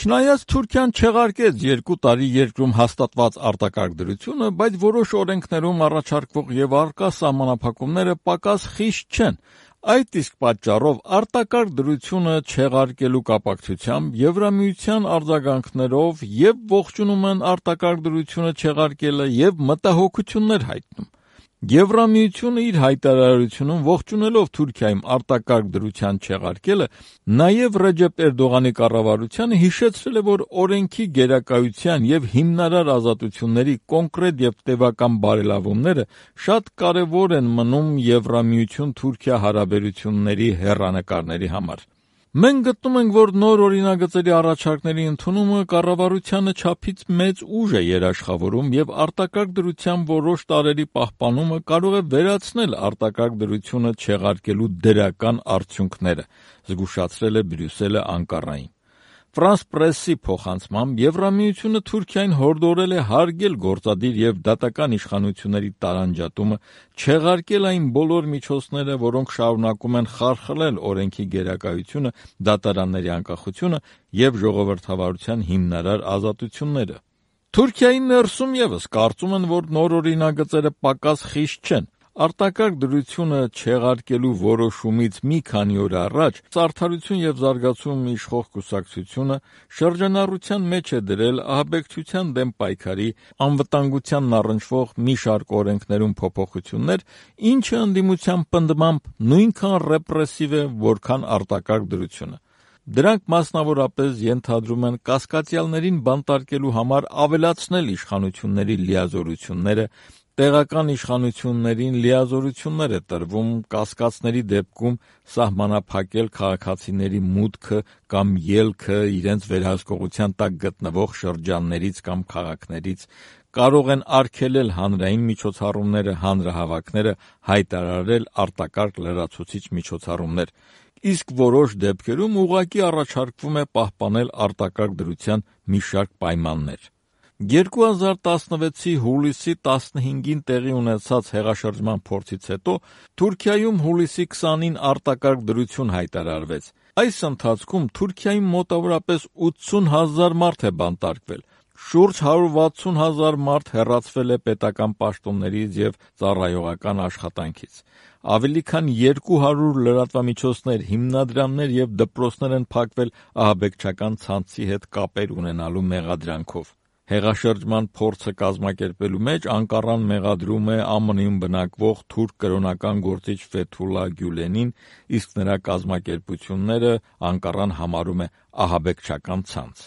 Չնայած Թուրքիան չեղարկեց 2 տարի երկրում հաստատված արտակարգ դրությունը, բայց որոշ օրենքներում առաջարկվող եւ առկա սահմանափակումները պակաս խիստ չեն։ Այդ իսկ պատճառով արտակարգ դրությունը չեղարկելու կապակցությամբ Եվրամիության արձագանքներով եւ ողջունում են արտակարգ դրությունը չեղարկելը եւ մտահոգություններ հայտնում։ Եվրամիությունը իր հայտարարությունում ողջունելով Թուրքիայում արտակարգ դրության չեղարկելը, նաև Ռեջեփ Էրդողանի կառավարությանը հիշեցրել է, որ օրենքի գերակայության եւ հիմնարար ազատությունների կոնկրետ եւ տևական բարելավումները շատ կարեւոր են մնում Եվրամիություն-Թուրքիա հարաբերությունների հեռանկարների համար։ Մենք գտնում ենք, որ նոր օրինագծերի առաջարկների ընդունումը կառավարությանը չափից մեծ ուժ է երաշխավորում եւ արտակարգ դրության որոշ տարրերի պահպանումը կարող է վերացնել արտակարգ դրությունը չեղարկելու դրական արդյունքները, զգուշացրել է Բրյուսելը Անկարային։ Ֆրանս Պրեսի փոխանցմամբ Եվրամիությունը Թուրքիային հորդորել է հարգել գործադիր եւ դատական իշխանությունների տարանջատումը, չեղարկել այն բոլոր միջոցները, որոնք շարունակում են խարխլել օրենքի գերակայությունը, դատարանների անկախությունը եւ ժողովրդավարության հիմնարար ազատությունները։ Թուրքիայի ներսում եւս կարծում են, որ նոր օրինագծերը պակաս խիստ չեն։ Արտակարգ դրությունը չեղարկելու որոշումից մի քանի օր առաջ Արդարություն եւ զարգացում իշխող կուսակցությունը շրջանառության մեջ է դրել ահաբեկչության դեմ պայքարի, անվտանգությանն առնչվող մի շարք օրենքներում փոփոխություններ, ինչը ընդդիմության պնդմամբ նույնքան ռեպրեսիվ է, որքան արտակարգ դրությունը։ Դրանք մասնավորապես ենթադրում են կասկածյալներին բանտարկելու համար ավելացնել իշխանությունների լիազորությունները, տեղական իշխանություններին լիազորություններ է տրվում կասկածների դեպքում սահմանափակել քաղաքացիների մուտքը կամ ելքը իրենց վերահսկողության տակ գտնվող շրջաններից կամ քաղաքներից, կարող են արգելել հանրային միջոցառումները, հանրահավաքները, հայտարարել արտակարգ լրացուցիչ միջոցառումներ, իսկ որոշ դեպքերում ուղղակի առաջարկվում է պահպանել արտակարգ դրության մի շարք պայմաններ։ 2016-ի հուլիսի 15-ին տեղի ունեցած հեղաշրջման փորձից հետո Թուրքիայում հուլիսի 20-ին արտակարգ դրություն հայտարարվեց։ Այս ընթացքում Թուրքիայում մոտավորապես 80,000 մարդ է բանտարկվել, շուրջ 160,000 մարդ հեռացվել է պետական պաշտոններից եւ ծառայողական աշխատանքից։ Ավելի քան 200 լրատվամիջոցներ, հիմնադրամներ եւ դպրոցներ են փակվել ահաբեկչական ցանցի հետ կապեր ունենալու մեղադրանքով։ Հեղաշրջման փորձը կազմակերպելու մեջ Անկարան մեղադրում է ԱՄՆ-ում բնակվող թուրք կրոնական գործիչ Ֆեթուլա Գյուլենին, իսկ նրա կազմակերպությունները Անկարան համարում է ահաբեկչական ցանց։